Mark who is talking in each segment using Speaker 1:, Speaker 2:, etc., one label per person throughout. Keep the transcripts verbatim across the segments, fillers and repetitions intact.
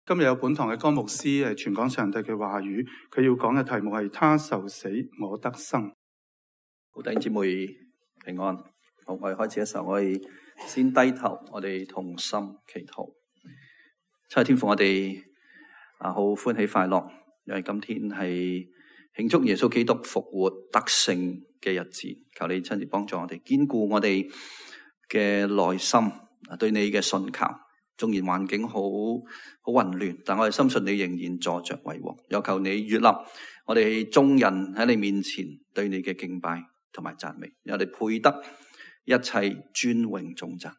Speaker 1: 今日有本堂嘅歌牧師係傳講上帝嘅話語，佢要講嘅題目係他受死，我得生。
Speaker 2: 好，弟兄姊妹平安。好，我哋開始嘅時候，我哋先低頭，我哋同心祈禱。七日天父，我哋啊好歡喜快樂，因為今天係慶祝耶穌基督復活得勝嘅日子。求你親自幫助我哋，堅固我哋嘅內心啊，對你嘅信靠。縱然環境好好混亂，但我哋深信你仍然坐着為王。又求你悅納我哋眾人喺你面前對你嘅敬拜同埋讚美，我哋配得一切尊榮頌讚。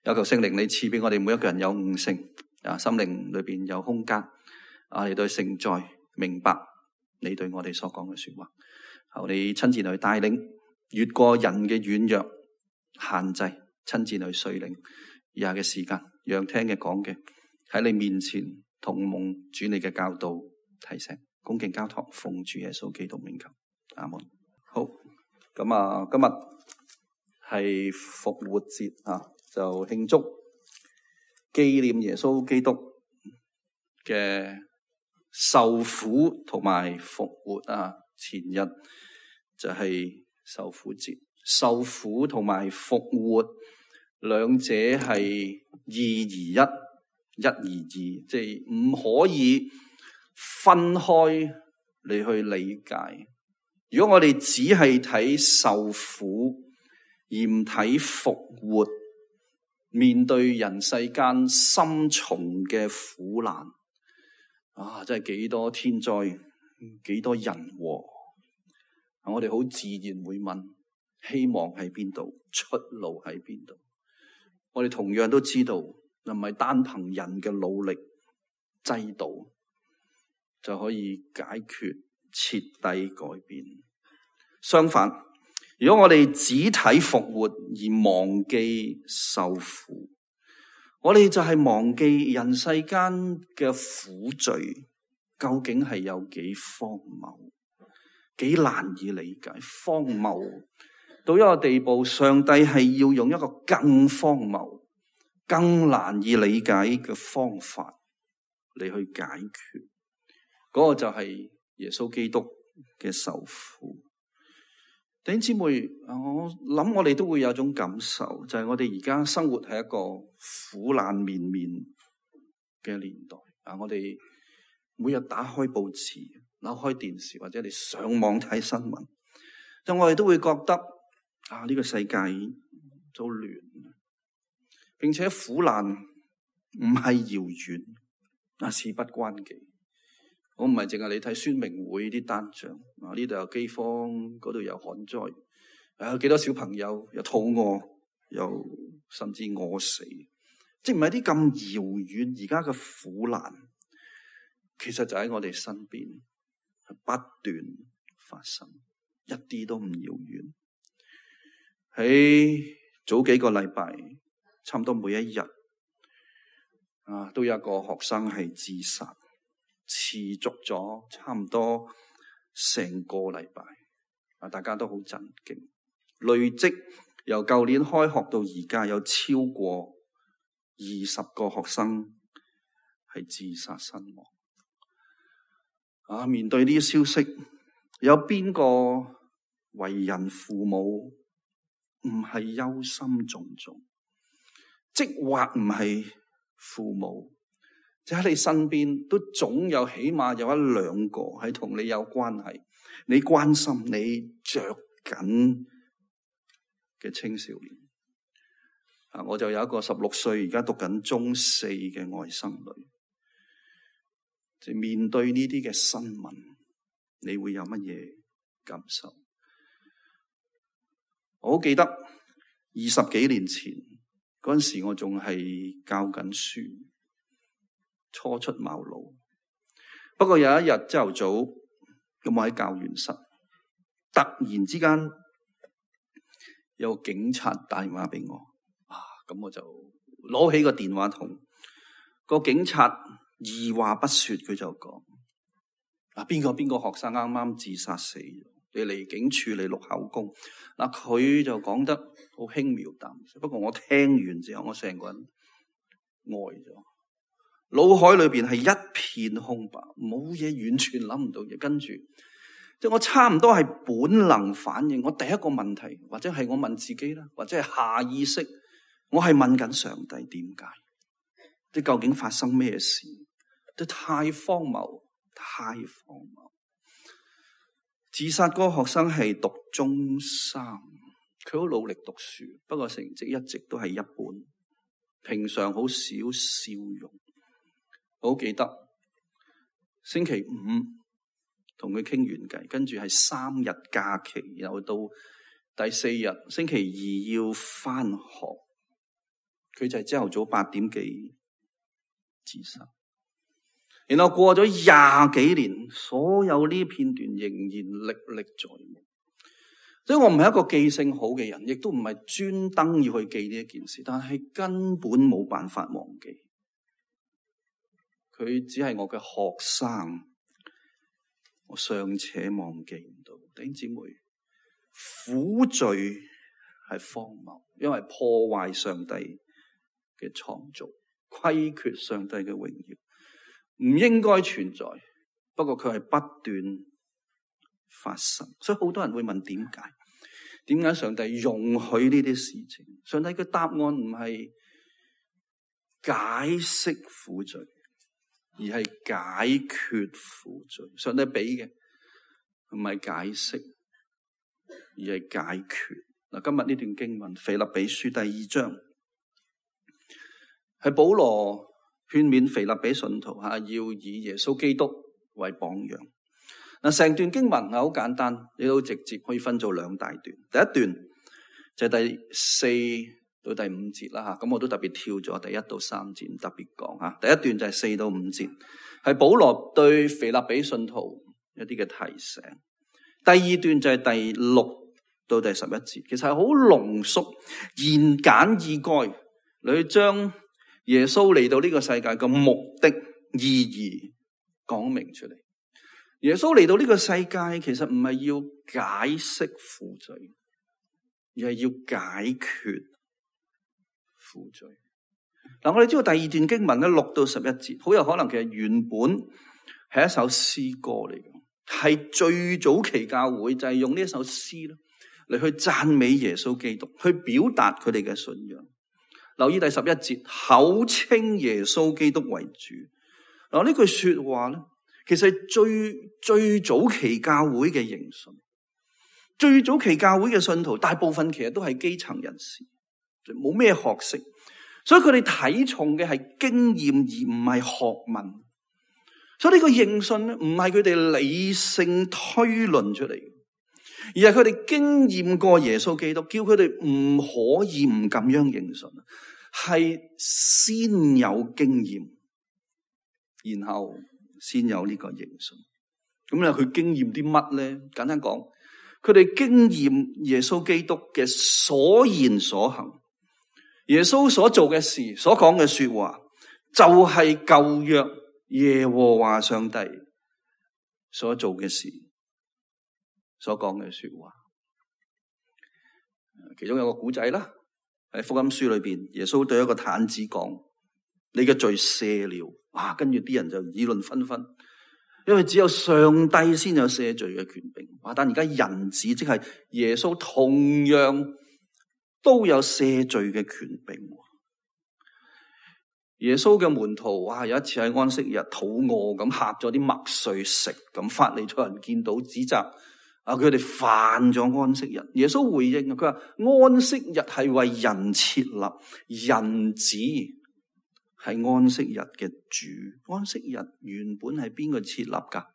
Speaker 2: 有求聖靈你賜俾我哋每一個人有悟性啊，心靈裏邊有空間啊，嚟對聖在明白你對我哋所講嘅說話。求你親自去帶領，越過人嘅軟弱限制，親自去率領以下嘅時間。讓聽嘅講嘅喺你面前同蒙主你嘅教導提醒，恭敬交託，奉主耶穌基督名求，阿門。好，咁啊，今日係復活節啊，就慶祝紀念耶穌基督嘅受苦同埋復活啊。前日就係受苦節，受苦同埋復活。兩者係二而一，一而二，即係唔可以分開你去理解。如果我哋只係睇受苦而唔睇復活，面對人世間深重嘅苦難，啊，真係幾多天災，幾多人禍，我哋好自然會問：希望喺邊度？出路喺邊度？我哋同樣都知道，唔係單憑人嘅努力制度就可以解決徹底改變。相反，如果我哋只睇復活而忘記受苦，我哋就係忘記人世間嘅苦罪究竟係有幾荒謬，幾難以理解。荒謬到一個地步，上帝係要用一個更荒謬、更難以理解嘅方法嚟去解決。嗰、那個就係耶穌基督嘅受苦。弟兄姊妹，我諗我哋都會有種感受，就係、是、我哋而家生活喺一個苦難綿綿嘅年代啊！我哋每日打開報紙、扭開電視，或者你上網睇新聞，就我哋都會覺得啊！呢、這個世界都亂，並且苦難唔係遙遠，啊，事不關己。我唔係淨係你睇宣明會啲單張，啊，呢度有饑荒，嗰度有旱災，啊，有幾多小朋友又肚餓，又甚至餓死，即係唔係啲咁遙遠。而家嘅苦難，其實就喺我哋身邊，不斷發生，一啲都唔遙遠。喺早幾個禮拜，差唔多每一日啊，都有一個學生係自殺，持續咗差唔多成個禮拜啊，大家都好震驚。累積由舊年開學到而家，有超過二十個學生係自殺身亡。啊，面對呢啲消息，有邊個為人父母唔係憂心忡忡，即或唔係父母，就喺你身邊都總有起碼有一兩個係同你有關係，你關心、你着緊嘅青少年。啊，我就有一個十六歲而家讀緊中四嘅外甥女，就面對呢啲嘅新聞，你會有乜嘢感受？我好記得二十幾年前嗰陣時，我仲係教緊書，初出茅廬。不過有一日朝頭早，咁我喺教員室，突然之間有警察打電話俾我，啊，咁我就攞起個電話筒，個警察二話不說，佢就講：啊，邊個邊個學生啱啱自殺死咗。你嚟警署嚟錄口供，嗱，佢就講得好輕描淡寫，不過我聽完之後，我成個人呆咗。腦海裏邊係一片空白，冇嘢，完全諗唔到嘢。跟住即係我差唔多係本能反應，我第一個問題或者係我問自己啦，或者係下意識，我係問緊上帝點解？即究竟發生咩事？都太荒謬，太荒謬。自殺嗰個學生係讀中三，佢好努力讀書，不過成績一直都係一般，平常好少笑容。我好記得星期五同佢傾完偈，跟住係三日假期，然後到第四日星期二要返學，佢就係朝頭早八點幾自殺。然後過咗廿幾年，所有呢片段仍然歷歷在目。所以我唔係一個記性好嘅人，亦都唔係專登要去記呢一件事，但係根本冇辦法忘記。佢只係我嘅學生，我尚且忘記唔到。弟兄姊妹，苦罪係荒謬，因為破壞上帝嘅創造，虧缺上帝嘅榮耀。唔應該存在，不過佢係不斷發生，所以好多人會問點解？點解上帝容許呢啲事情？上帝嘅答案唔係解釋苦罪，而係解決苦罪。上帝俾嘅唔係解釋，而係解決。嗱，今日呢段經文，腓立比書第二章，係保羅勸勉腓立比信徒吓，要以耶穌基督為榜樣。嗱，成段經文係好簡單，你都直接可以分做兩大段。第一段就係第四到第五節啦吓，咁我都特別跳咗第一到三節，特別講吓。第一段就係四到五節，係保羅對腓立比信徒一啲嘅提醒。第二段就係第六到第十一節，其實係好濃縮、言簡意賅，你去將耶穌嚟到呢個世界嘅目的、意義講明出嚟。耶穌嚟到呢個世界，其實唔係要解釋苦罪，而係要解決苦罪。嗱，我哋知道第二段經文咧，六到十一節，好有可能其實原本係一首詩歌嚟嘅，係最早期教會就係用呢一首詩咧嚟去讚美耶穌基督，去表達佢哋嘅信仰。留意第十一節，口稱耶穌基督為主。嗱，呢句說話咧，其實係最最早期教會嘅認信。最早期教會嘅信徒，大部分其實都係基層人士，冇咩學識，所以佢哋睇重嘅係經驗而唔係學問。所以呢個認信咧，唔係佢哋理性推論出嚟，而係佢哋經驗過耶穌基督，叫佢哋唔可以唔咁樣認信，係先有經驗，然後先有呢個認信。咁咧，佢經驗啲乜咧？簡單講，佢哋經驗耶穌基督嘅所言所行，耶穌所做嘅事，所講嘅說話，就係舊約耶和華上帝所做嘅事，所講嘅說話。其中有個古仔啦，喺福音書裏邊，耶穌對一個癱子講：你嘅罪赦了。哇！跟住啲人就議論紛紛，因為只有上帝先有赦罪嘅權柄。哇！但而家人子即係耶穌，同樣都有赦罪嘅權柄。耶穌嘅門徒哇，有一次喺安息日肚餓咁，嚇咗啲麥穗食，咁法利賽人見到指責啊，佢哋犯咗安息日。耶穌回應啊，佢話安息日係為人設立，人子係安息日嘅主。安息日原本係邊個設立噶？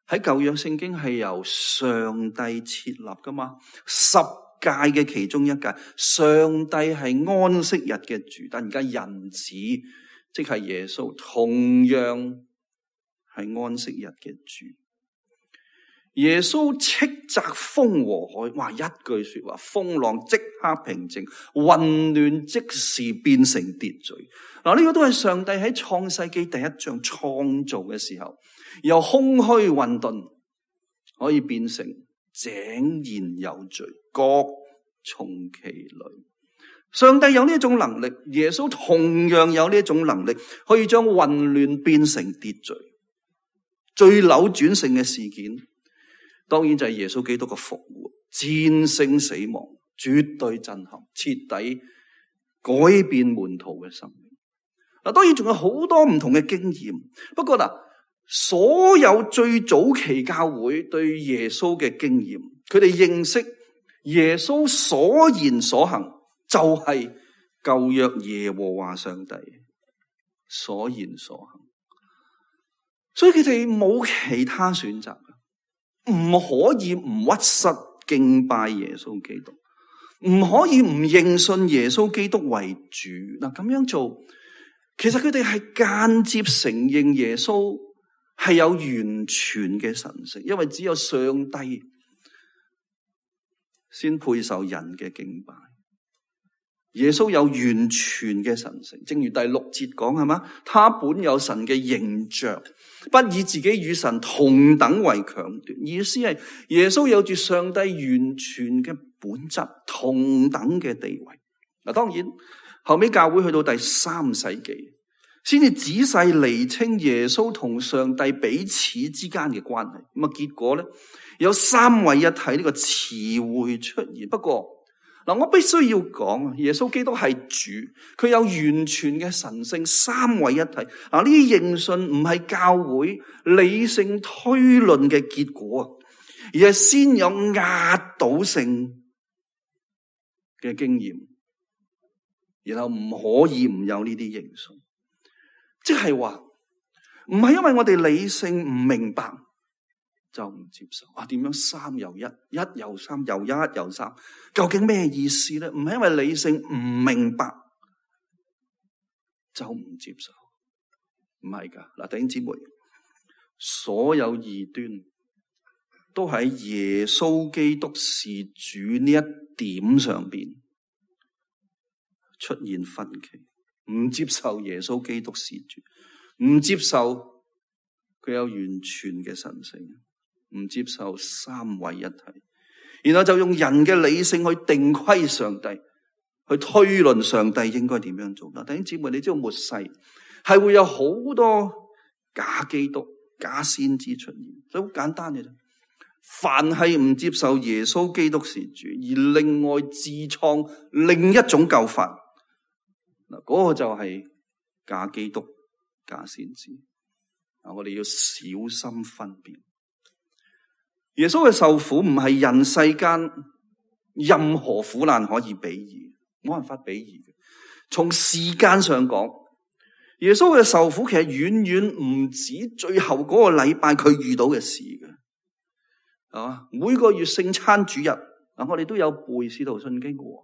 Speaker 2: 喺舊約聖經係由上帝設立噶嘛？十誡嘅其中一誡，上帝係安息日嘅主，但而家人子即係耶穌，同樣係安息日嘅主。耶穌斥責風和海，哇！一句說話，風浪即刻平靜，混亂即時變成秩序。嗱，呢個都係上帝喺創世紀第一章創造嘅時候，由空虛混沌可以變成井然有序，各從其類。上帝有呢一種能力，耶穌同樣有呢一種能力，可以將混亂變成秩序。最扭轉性嘅事件，當然就係耶穌基督嘅復活，戰勝死亡，絕對震撼，徹底改變門徒嘅生命。嗱，當然仲有好多唔同嘅經驗，不過嗱，所有最早期教會對耶穌嘅經驗，佢哋認識耶穌所言所行，就係舊約耶和華上帝所言所行，所以佢哋冇其他選擇，唔可以唔屈膝敬拜耶穌基督，唔可以唔認信耶穌基督為主。嗱，咁樣做，其實佢哋係間接承認耶穌係有完全嘅神性，因為只有上帝先配受人嘅敬拜。耶穌有完全嘅神性，正如第六節講，係嘛？他本有神嘅形象，不以自己與神同等為強奪。意思係耶穌有住上帝完全嘅本質，同等嘅地位。嗱，當然後尾教會去到第三世紀，先至仔細釐清耶穌同上帝彼此之間嘅關係。咁啊，結果咧有三位一體呢個詞彙出現。不過嗱，我必須要講啊，耶穌基督係主，佢有完全嘅神性，三位一體。嗱，呢啲認信唔係教會理性推論嘅結果，而係先有壓倒性嘅經驗，然後唔可以唔有呢啲認信。即係話，唔係因為我哋理性唔明白就唔接受啊？點樣三又一，一又三，又一又三，究竟咩意思咧？唔係因為理性唔明白就唔接受，唔係噶。嗱，弟兄姊妹，所有異端都喺耶穌基督是主呢一點上邊出現分歧，唔接受耶穌基督是主，唔接受佢有完全嘅神性，唔接受三位一體，然後就用人嘅理性去定規上帝，去推論上帝應該點樣做。嗱，弟兄姊妹，你知道末世係會有好多假基督、假先知出現，所以好簡單嘅啫。凡係唔接受耶穌基督是主，而另外自創另一種救法，嗱，嗰個就係假基督、假先知。嗱，我哋要小心分辨。耶穌嘅受苦唔係人世間任何苦難可以比擬，冇辦法比擬嘅。從時間上講，耶穌嘅受苦其實遠遠唔止最後嗰個禮拜佢遇到嘅事嘅，係嘛？每個月聖餐主日，嗱，我哋都有背《使徒信經》嘅，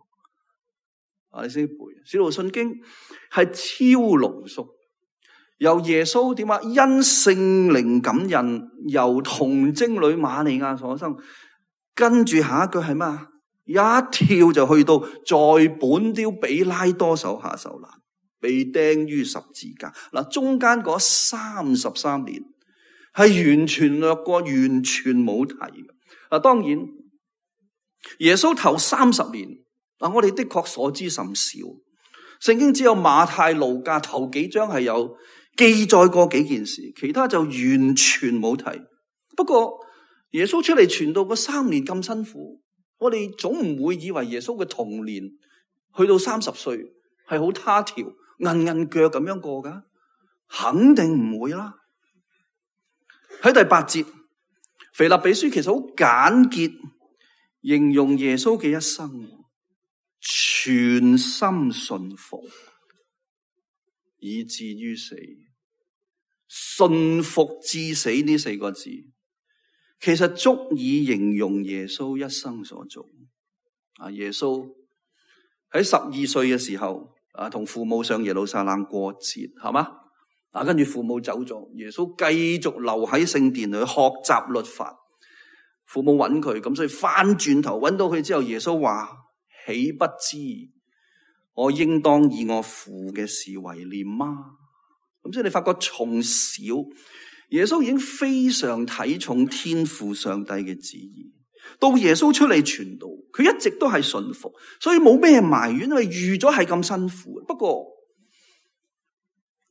Speaker 2: 啊，你先背《使徒信經》係超濃縮。由耶穌點啊？因聖靈感孕，由童貞女瑪利亞所生。跟住下一句係咩？一跳就去到在本丟彼拉多手下受難，被釘於十字架。嗱，中間嗰三十三年係完全略過，完全冇提嘅。嗱，當然耶穌頭三十年，嗱，我哋的確所知甚少。聖經只有馬太、路加頭幾章係有記載過幾件事，其他就完全冇提。不過耶穌出嚟傳道嗰三年咁辛苦，我哋總唔會以為耶穌嘅童年去到三十歲係好他條、韌韌腳咁樣過噶，肯定唔會啦。喺第八節，腓立比書其實好簡潔形容耶穌嘅一生，全心信服以至於死。信服至死呢四個字，其實足以形容耶穌一生所做。啊，耶穌喺十二歲嘅時候，啊，同父母上耶路撒冷過節，係嘛？啊，跟住父母走咗，耶穌繼續留喺聖殿裏學習律法。父母揾佢，咁所以翻轉頭揾到佢之後，耶穌話：豈不知我應當以我父嘅事為念嗎？咁所以你發覺從小耶穌已經非常睇重天父上帝嘅旨意，到耶穌出嚟傳道，佢一直都係順服，所以冇咩埋怨，因為預咗係咁辛苦。不過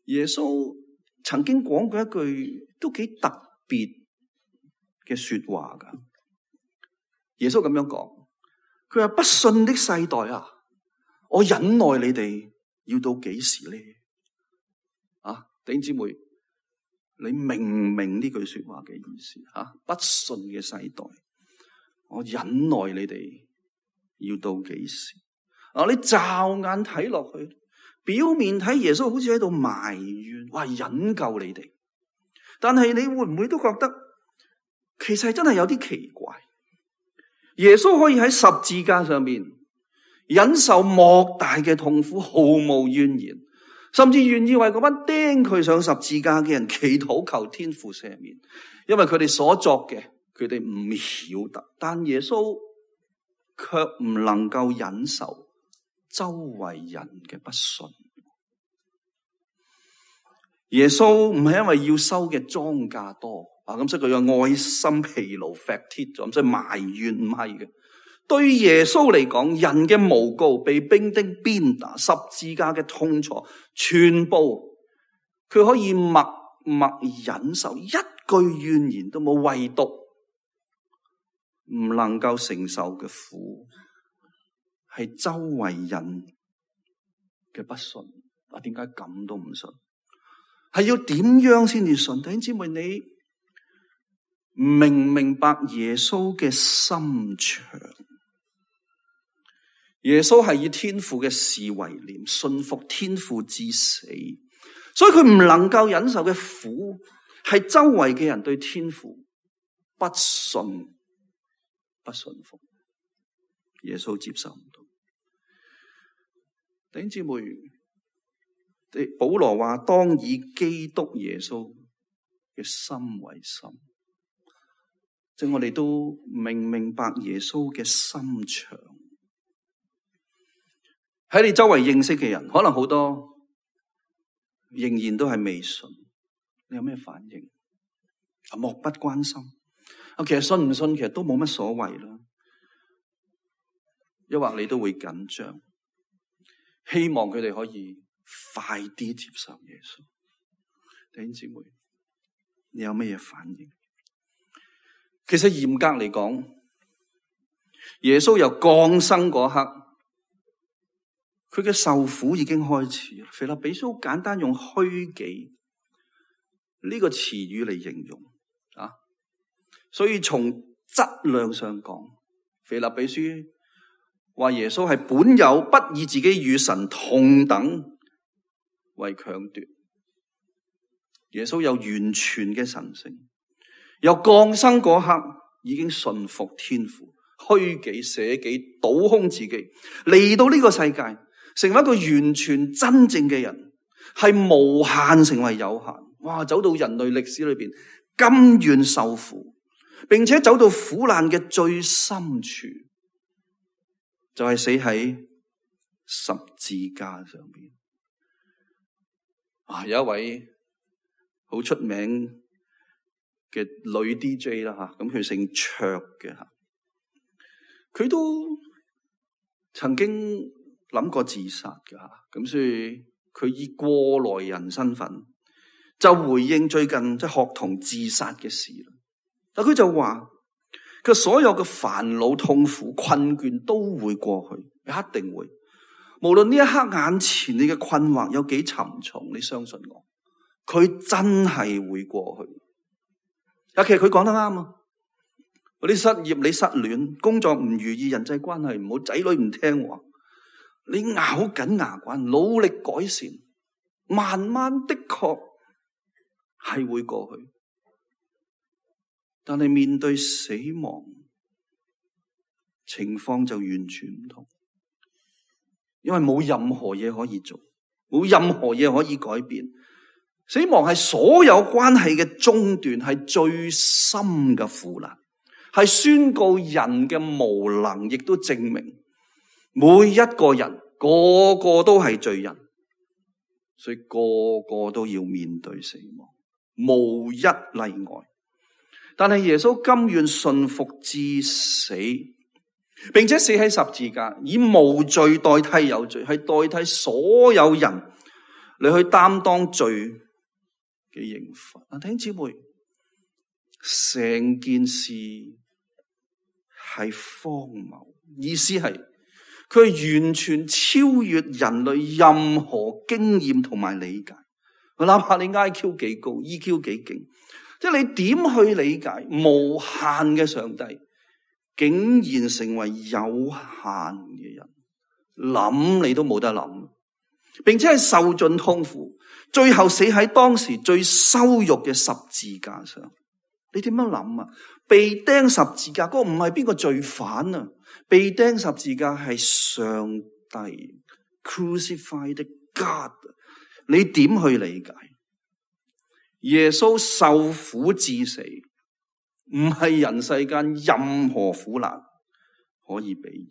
Speaker 2: 耶穌曾經講過一句都幾特別嘅說話噶。耶穌咁樣講，佢話不信的世代啊，我忍耐你哋要到幾時呢？啊，弟兄姊妹，你明唔明呢句說話嘅意思？啊，不信嘅世代，我忍耐你哋要到幾時？啊，你驟眼睇落去，表面睇耶穌好似喺度埋怨，話忍夠你哋，但係你會唔會都覺得其實真係有啲奇怪？耶穌可以喺十字架上面忍受莫大嘅痛苦，毫無怨言，甚至願意為嗰班釘佢上十字架嘅人祈禱求天父赦免，因為佢哋所作嘅佢哋唔曉得。但耶穌卻唔能夠忍受周圍人嘅不信。耶穌唔係因為要收嘅莊稼多啊，咁所以佢嘅愛心疲勞 fatigue 咗，咁所以埋怨，唔係嘅。對耶穌嚟講，人嘅誣告、被兵丁鞭打、十字架嘅痛楚，全部佢可以默默忍受，一句怨言都冇，唯獨唔能夠承受嘅苦係周圍人嘅不信。啊，點解咁都唔信？係要點樣先至信？弟兄姊妹，你明唔明白耶穌嘅心腸？耶穌係以天父嘅事為念，信服天父至死，所以佢唔能夠忍受嘅苦係周圍嘅人對天父不信、不信服。耶穌接受唔到。弟兄姊妹，保羅話當以基督耶穌嘅心為心，即係我哋都明明白耶穌嘅心腸。喺你周圍認識嘅人，可能好多仍然都係未信，你有咩反應？漠不關心。啊，其實信唔信其實都冇乜所謂啦。抑或你都會緊張，希望佢哋可以快啲接受耶穌。弟兄姊妹，你有咩嘢反應？其實嚴格嚟講，耶穌由降生嗰刻，佢嘅受苦已經開始。腓立比書簡單用虛己呢個詞語嚟形容啊，所以從質量上講，腓立比書話耶穌係本有不以自己與神同等為強奪。耶穌有完全嘅神性，由降生嗰刻已經順服天父，虛己捨己，倒空自己，嚟到呢個世界，成為一個完全真正嘅人，係無限成為有限。哇！走到人類歷史裏邊，甘願受苦，並且走到苦難嘅最深處，就係死喺十字架上邊。啊，有一位好出名嘅女 D J 啦，吓，咁佢姓卓嘅吓，佢都曾經諗過自殺嘅吓，咁所以佢以過來人身份就回應最近即係學童自殺嘅事啦。但佢就話佢所有嘅煩惱、痛苦、困倦都會過去，一定會。無論呢一刻眼前你嘅困惑有幾沉重，你相信我，佢真係會過去。啊，其實佢講得啱啊！嗰啲失業、你失戀、工作唔如意、人際關係唔好、仔女唔聽話，你咬緊牙關，努力改善，慢慢的確係會過去。但係面對死亡，情況就完全唔同，因為冇任何嘢可以做，冇任何嘢可以改變。死亡係所有關係嘅中斷，係最深嘅苦難，係宣告人嘅無能，亦都證明每一個人個個都係罪人，所以個個都要面對死亡，無一例外。但係耶穌甘願順服至死，並且死喺十字架，以無罪代替有罪，係代替所有人嚟去擔當罪嘅刑罰。弟兄姊妹，成件事係荒謬，意思係佢係完全超越人類任何經驗同埋理解。哪怕你 I Q 幾高 ，E Q 幾勁，即係你點去理解無限嘅上帝，竟然成為有限嘅人，諗你都冇得諗，並且係受盡痛苦，最後死喺當時最羞辱嘅十字架上。你點樣諗啊？被釘十字架嗰個唔係邊個罪犯啊？被釘十字架係上帝 ，crucified God。你點去理解？耶穌受苦致死，唔係人世間任何苦難可以比擬，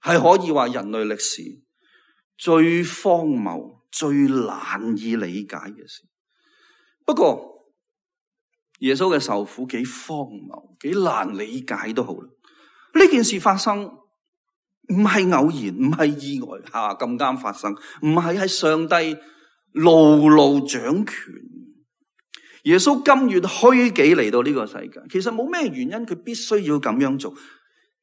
Speaker 2: 係可以話人類歷史最荒謬、最難以理解嘅事。不過耶穌嘅受苦幾荒謬、幾難理解都好啦。呢件事發生唔係偶然，唔係意外吓咁啱發生，唔係係上帝牢牢掌權。耶穌甘願虛己嚟到呢個世界，其實冇咩原因佢必須要咁樣做，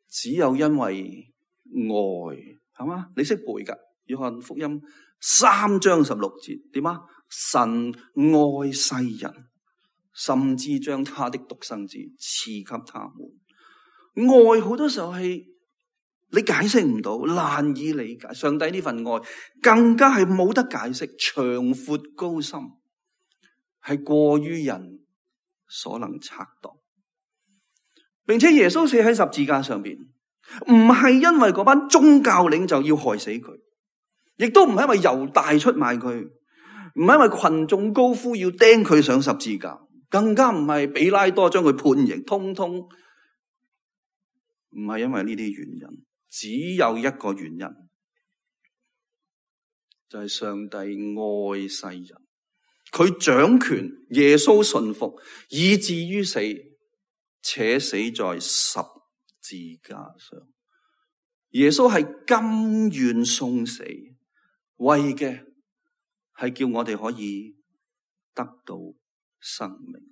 Speaker 2: 只有因為愛，係嘛？你識背噶？約翰福音三章十六節點啊？神愛世人，甚至將他的獨生子賜給他們。愛好多時候係你解釋唔到，難以理解。上帝呢份愛更加係冇得解釋，長闊高深，係過於人所能測度。並且耶穌死喺十字架上邊，唔係因為嗰班宗教領袖要害死佢，亦都唔係因為猶大出賣佢，唔係因為群眾高呼要釘佢上十字架，更加唔係比拉多將佢判刑，通通唔係因為呢啲原因，只有一個原因，就係上帝愛世人，佢掌權，耶穌順服，以至於死，且死在十字架上。耶穌係甘願送死，為嘅係叫我哋可以得到生命。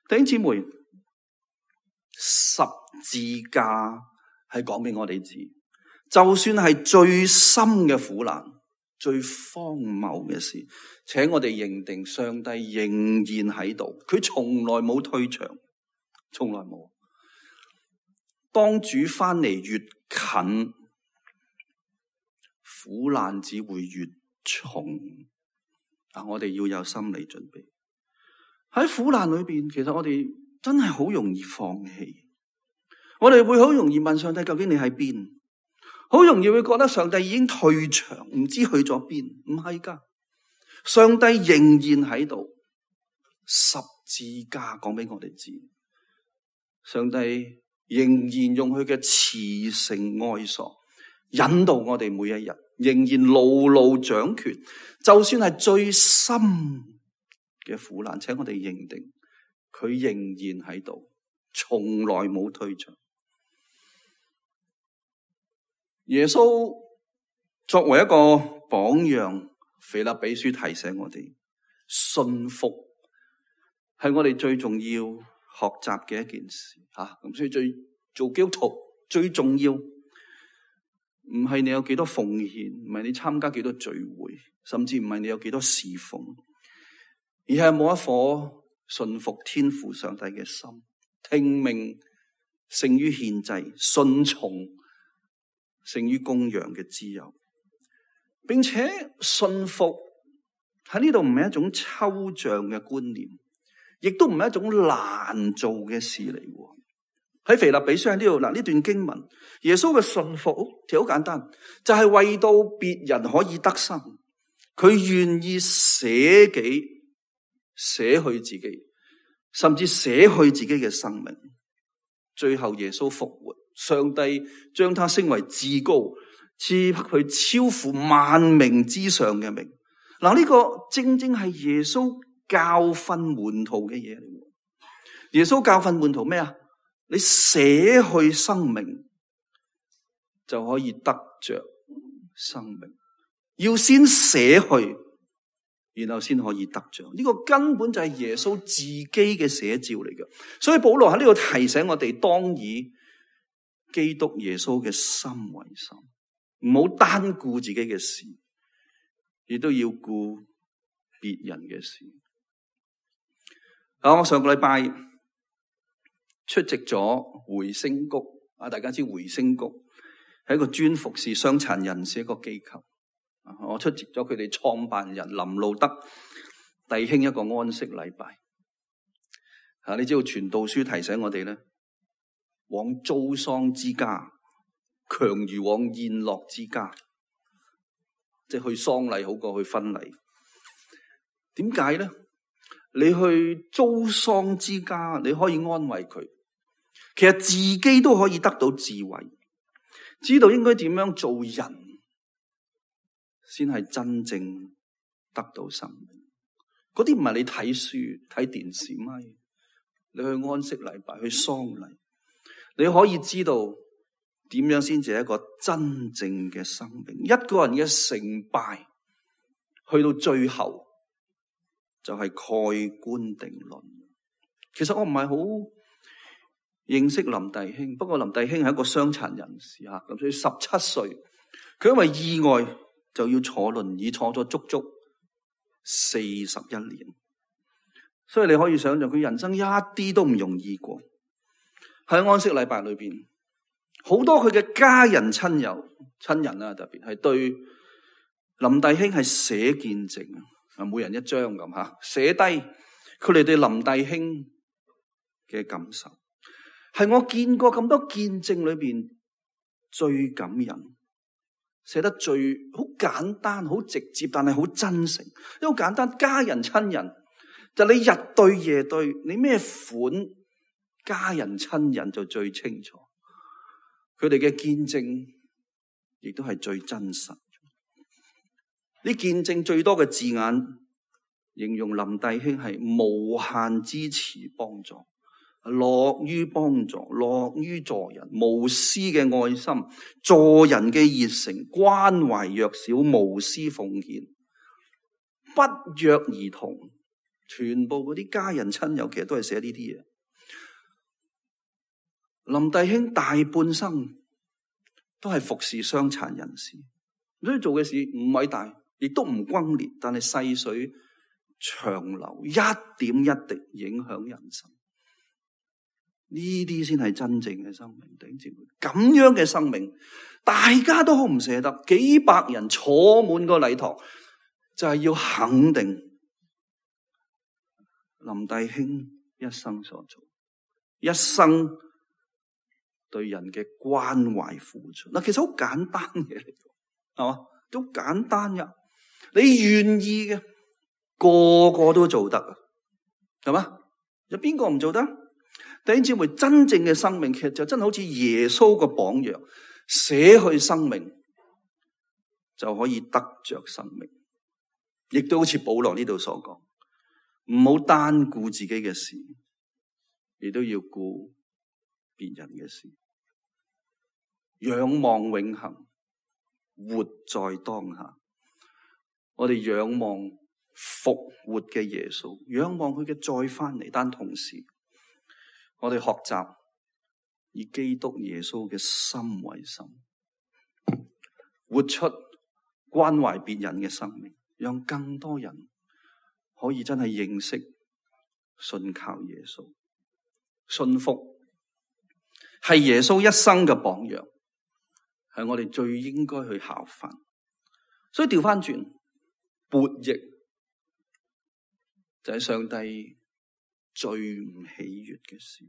Speaker 2: 弟兄姊妹，十字架係講俾我哋知，就算係最深嘅苦難、最荒謬嘅事，請我哋認定上帝仍然喺度，佢從來冇退場，從來冇。當主翻嚟越近，苦難只會越重。啊，我哋要有心理準備。喺苦難裏邊，其實我哋真係好容易放棄。我哋會好容易問上帝，究竟你喺邊？好容易會覺得上帝已經退場，唔知去咗邊。唔係噶，上帝仍然喺度。十字架講俾我哋知，上帝仍然用佢嘅慈繩愛索引導我哋每一日，仍然牢牢掌權。就算係最深嘅苦難，請我哋認定佢仍然喺度，從來冇退場。耶穌作為一個榜樣，腓立比書提醒我哋，信服係我哋最重要學習嘅一件事吓。咁所以最做基督徒最重要，唔係你有幾多奉獻，唔係你參加幾多聚會，甚至唔係你有幾多侍奉，而係冇一顆信服天父上帝嘅心，聽命勝於獻祭，順從勝於公羊嘅自由，並且信服喺呢度唔係一種抽象嘅觀念，亦都唔係一種難做嘅事嚟。喺腓立比書喺呢度嗱，呢段經文，耶穌嘅信服其實好簡單，就係為到別人可以得生，佢願意捨己、捨去自己，甚至捨去自己嘅生命。最後耶穌復活，上帝將他升為至高，賜給佢超乎萬名之上嘅名。嗱，呢個正正係耶穌教訓門徒嘅嘢嚟。耶穌教訓門徒咩啊？你捨去生命就可以得着生命，要先捨去，然後先可以得着。呢個根本就係耶穌自己嘅寫照嚟嘅。所以保羅喺呢度提醒我哋，當以基督耶穌嘅心為心，唔好單顧自己嘅事，亦都要顧別人嘅事。啊，我上個禮拜出席咗回聲谷啊，大家知回聲谷係一個專服侍傷殘人士一個機構。我出席咗佢哋創辦人林路德弟兄一個安息禮拜。啊，你知道傳道書提醒我哋咧，往遭喪之家，強如往宴樂之家，即係去喪禮好過去婚禮。點解咧？你去遭喪之家，你可以安慰佢，其實自己都可以得到智慧，知道應該點樣做人先係真正得到生命。嗰啲唔係你睇書睇電視咪，你去安息禮拜去喪禮，你可以知道點樣先至係一個真正嘅生命。一個人嘅成敗去到最後就係蓋棺定論。其實我唔係好認識林弟兄，不過林弟兄係一個傷殘人士吓，咁所以十七歲佢因為意外就要坐輪椅，坐咗足足四十一年。所以你可以想象佢人生一啲都唔容易過。喺安息禮拜裏邊，好多佢嘅家人親友親人啊，特別係對林弟兄係寫見證啊，每人一張咁吓，寫低佢哋對林弟兄嘅感受，係我見過咁多見證裏邊最感人，寫得最好簡單、好直接，但係好真誠。因為好簡單，家人親人就你日對夜對，你咩款家人親人就最清楚。佢哋嘅見證亦都係最真實。呢見證最多嘅字眼，形容林弟兄係無限支持幫助，樂於幫助，樂於助人，無私嘅愛心，助人嘅熱誠，關懷弱小，無私奉獻，不約而同，全部嗰啲家人親友其實都係寫呢啲嘢。林弟兄大半生都係服侍傷殘人士，所以做嘅事唔偉大，亦都唔轟烈，但係細水長流，一點一滴影響人生。呢啲先係真正嘅生命，弟兄姊妹，咁樣嘅生命，大家都好唔捨得，幾百人坐滿個禮堂，就係要肯定林弟兄一生所做，一生對人嘅關懷付出。嗱，其實好簡單嘅嚟，係嘛？都簡單噶，你願意嘅，個個都做得，係嘛？有邊個唔做得？弟兄姊妹，真正嘅生命其實就真係好似耶穌個榜樣，捨去生命就可以得着生命，亦都好似保羅呢度所講，唔好單顧自己嘅事，亦都要顧別人嘅事，仰望永恆，活在當下。我哋仰望復活嘅耶穌，仰望佢嘅再翻嚟，但同時我哋學習以基督耶穌嘅心為心，活出關懷別人嘅生命，讓更多人可以真係認識、信靠耶穌。信服係耶穌一生嘅榜樣，係我哋最應該去效法。所以調翻轉，悖逆就係上帝最唔喜悅嘅事。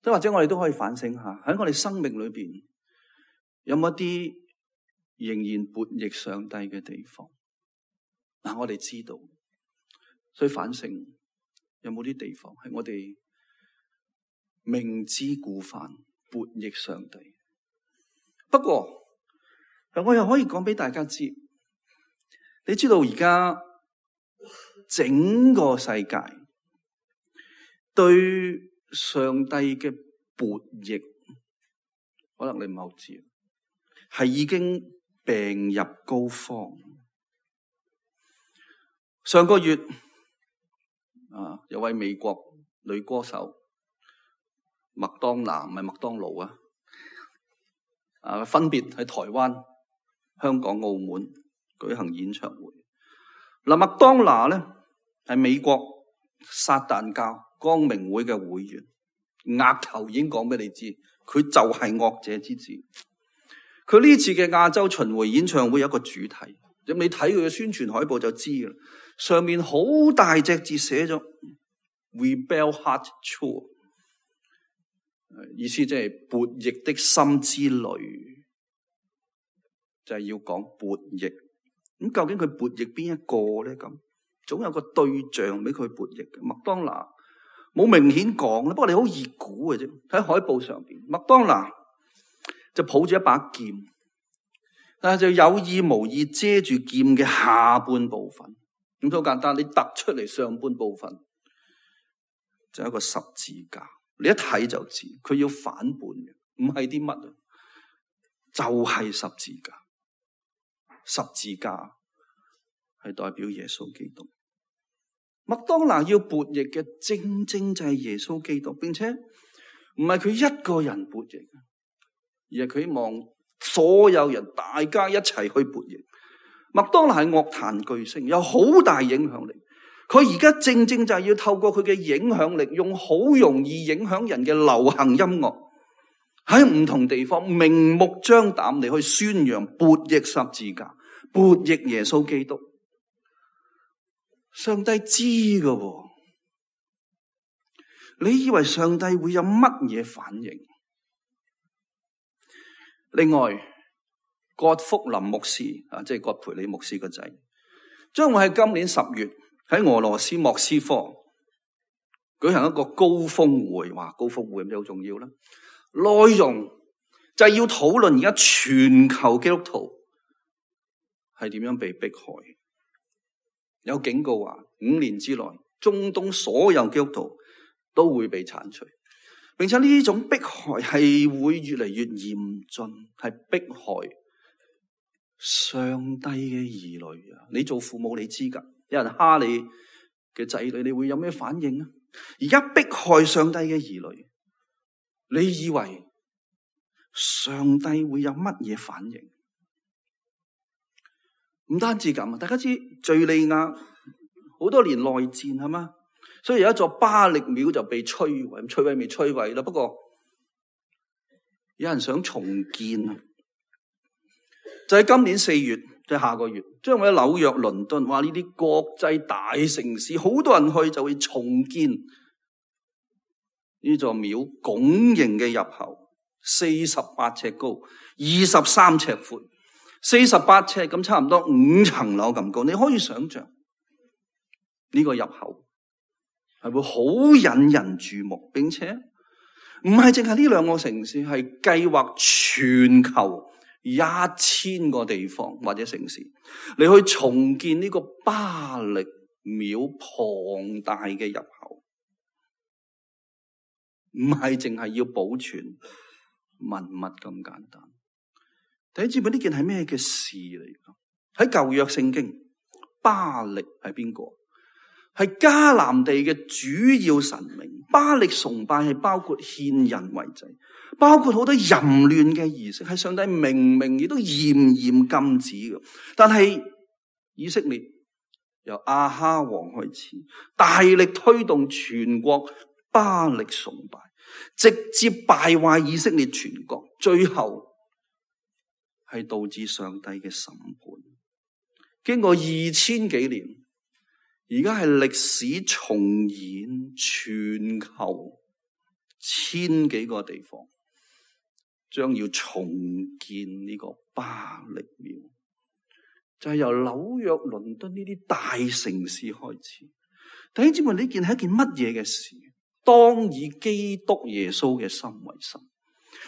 Speaker 2: 即或者我哋都可以反省下，喺我哋生命裏邊有冇一啲仍然悖逆上帝嘅地方？嗱，我哋知道，所以反省有冇啲地方係我哋明知故犯、悖逆上帝？不過我又可以講俾大家知，你知道而家整個世界對上帝嘅悖逆，可能你唔係好知，係已經病入膏肓。上個月啊，有位美國女歌手麥當娜，唔係麥當勞啊，啊，分別喺台灣、香港、澳門舉行演唱會。嗱，麥當娜咧係美國撒旦教光明會嘅會員，額頭已經講俾你知，佢就係惡者之子。佢呢次嘅亞洲巡迴演唱會有一個主題，咁你睇佢嘅宣傳海報就知啦。上面好大隻字寫咗 Rebel Heart Tour， 意思即係悖逆的心之旅，就係、是、要講悖逆。咁究竟佢悖逆邊一個咧？咁總有個對象俾佢悖逆嘅。麥當娜冇明顯講啦，不過你好易估嘅啫。喺海報上邊，麥當娜就抱住一把劍，但係就有意無意遮住劍嘅下半部分。咁好簡單，你突出嚟上半部分就係一個十字架，你一睇就知佢要反叛嘅，唔係啲乜啊，就係十字架。十字架係代表耶穌基督。麥當娜要悖逆嘅正正就係耶穌基督，並且唔係佢一個人悖逆，而係佢希望所有人大家一齊去悖逆。麥當娜係樂壇巨星，有好大影響力。佢而家正正就係要透過佢嘅影響力，用好容易影響人嘅流行音樂，喺唔同地方明目張膽地去宣揚悖逆十字架、悖逆耶穌基督。上帝知㗎，你以為上帝會有乜嘢反應？另外，葛福林牧師啊，即係葛培理牧師個仔，將會喺今年十月喺俄羅斯莫斯科舉行一個高峰會。哇，高峰會咁好重要啦！內容就係要討論而家全球基督徒係點樣被迫害。有警告話，五年之內，中東所有基督徒都會被鏟除，並且呢種迫害係會越嚟越嚴峻，係迫害上帝嘅兒女啊！你做父母你知噶，有人蝦你嘅仔女，你會有咩反應啊？而家迫害上帝嘅兒女，你以為上帝會有乜嘢反應？唔單止咁啊！大家知敘利亞好多年內戰係嘛，所以有一座巴力廟就被摧毀，摧毀未摧毀啦。不過有人想重建啊！就喺今年四月，即係下個月，將會喺紐約、倫敦，話呢啲國際大城市，好多人去就會重建呢座廟拱形嘅入口，四十八尺高，二十三尺闊，四十八尺咁，差唔多五層樓咁高。你可以想象呢個入口係會好引人注目，並且唔係淨係呢兩個城市，係計劃全球一千個地方或者城市，你去重建呢個巴力廟龐大嘅入口，唔係淨係要保存文物咁簡單。第一知唔知呢件係咩嘅事嚟？喺舊約聖經，巴力係邊個？係迦南地嘅主要神明。巴力崇拜係包括獻人為祭，包括好多淫亂嘅儀式，係上帝明明亦都嚴嚴禁止嘅。但係以色列由亞哈王開始，大力推動全國巴力崇拜，直接敗壞以色列全國，最後係導致上帝嘅審判。經過二千幾年，而家係歷史重演，全球千幾個地方將要重建呢個巴力廟，就係由紐約、倫敦呢啲大城市開始。弟兄姊妹，呢件係一件乜嘢嘅事？當以基督耶穌嘅心為心。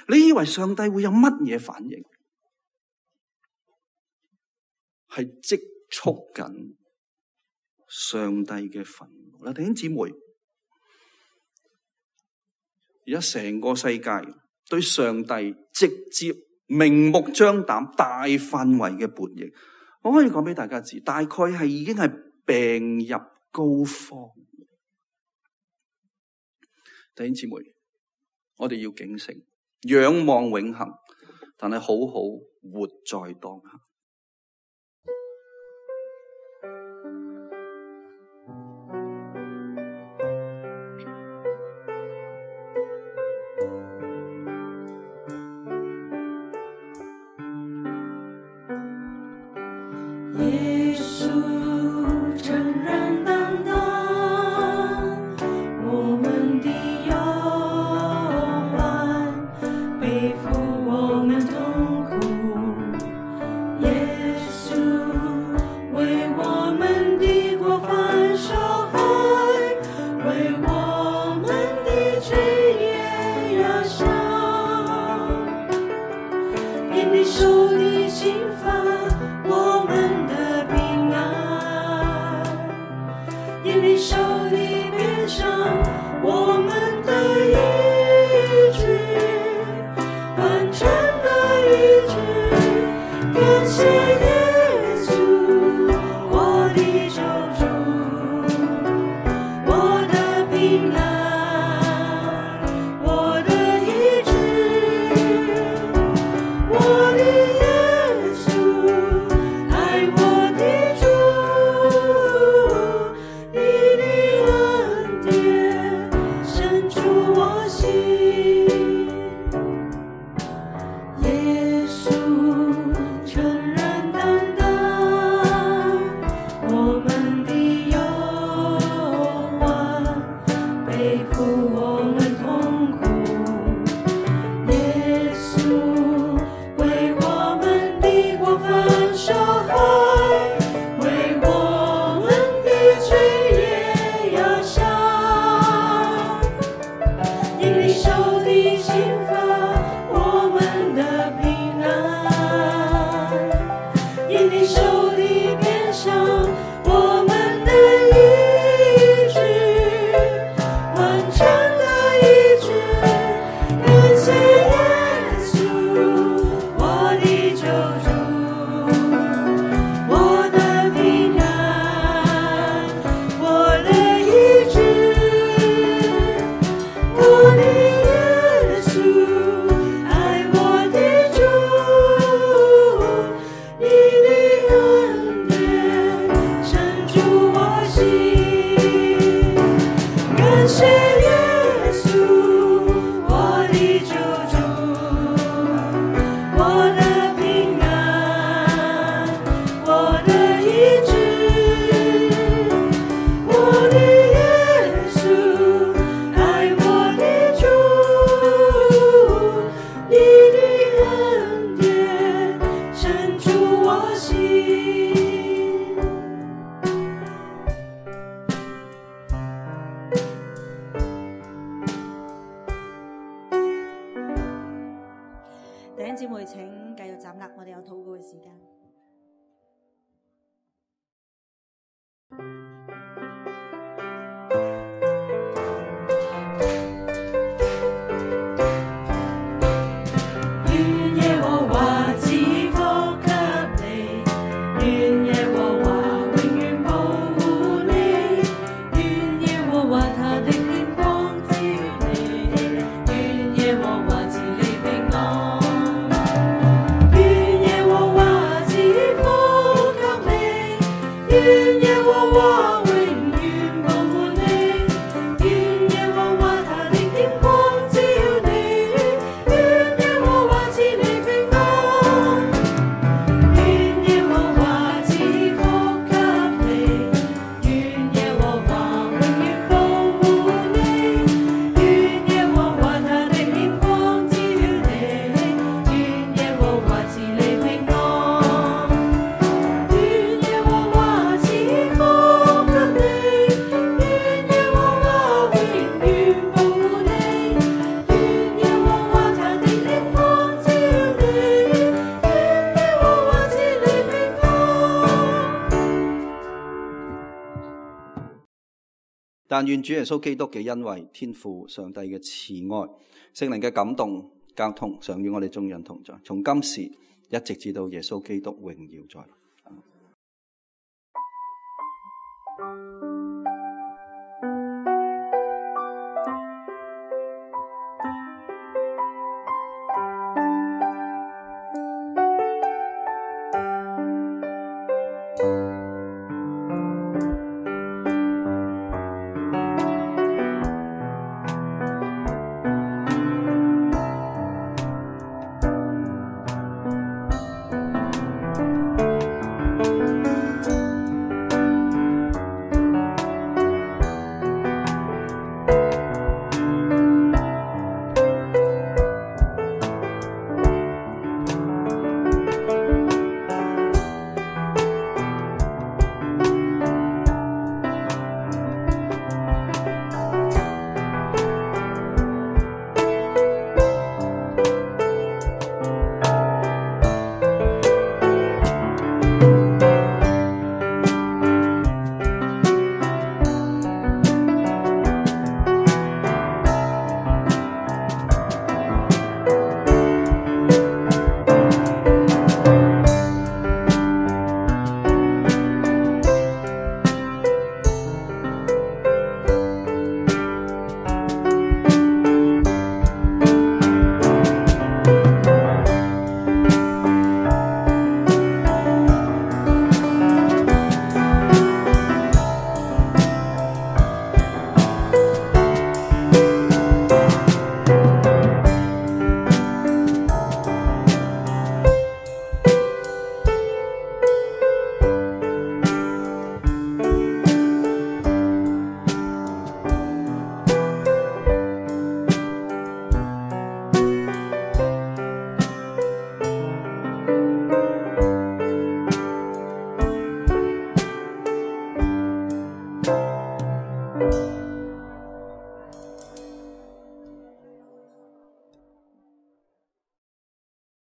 Speaker 2: 你以為上帝會有乜嘢反應？係積蓄緊上帝嘅憤怒啦！弟兄姊妹，而家成個世界對上帝直接明目張膽大範圍嘅叛逆，我可以講俾大家知，大概係已經係病入膏肓。弟兄姊妹，我哋要警醒，仰望永恆，但係好好活在當下。
Speaker 3: 耶穌誠然擔當我們的憂患，背負我們痛苦。耶穌為我們的過犯受害，為我們的罪也壓傷，因你受的刑罰，我們因你受的鞭傷，我們的醫治，完全的醫治，感謝耶穌，我的救主，我的平安，我的醫治，我的耶穌，愛我的主。弟兄姊妹，請繼續站立，我哋有禱告嘅時間。願耶和華賜福給你，願耶和華永遠保護你，願耶和華他的臉光照你，願耶和華賜你平安。願耶和華賜
Speaker 2: 但願主耶穌基督嘅恩惠、天父上帝嘅慈愛、聖靈嘅感動、交通，常與我哋眾人同在，從今時一直至到耶穌基督榮耀在。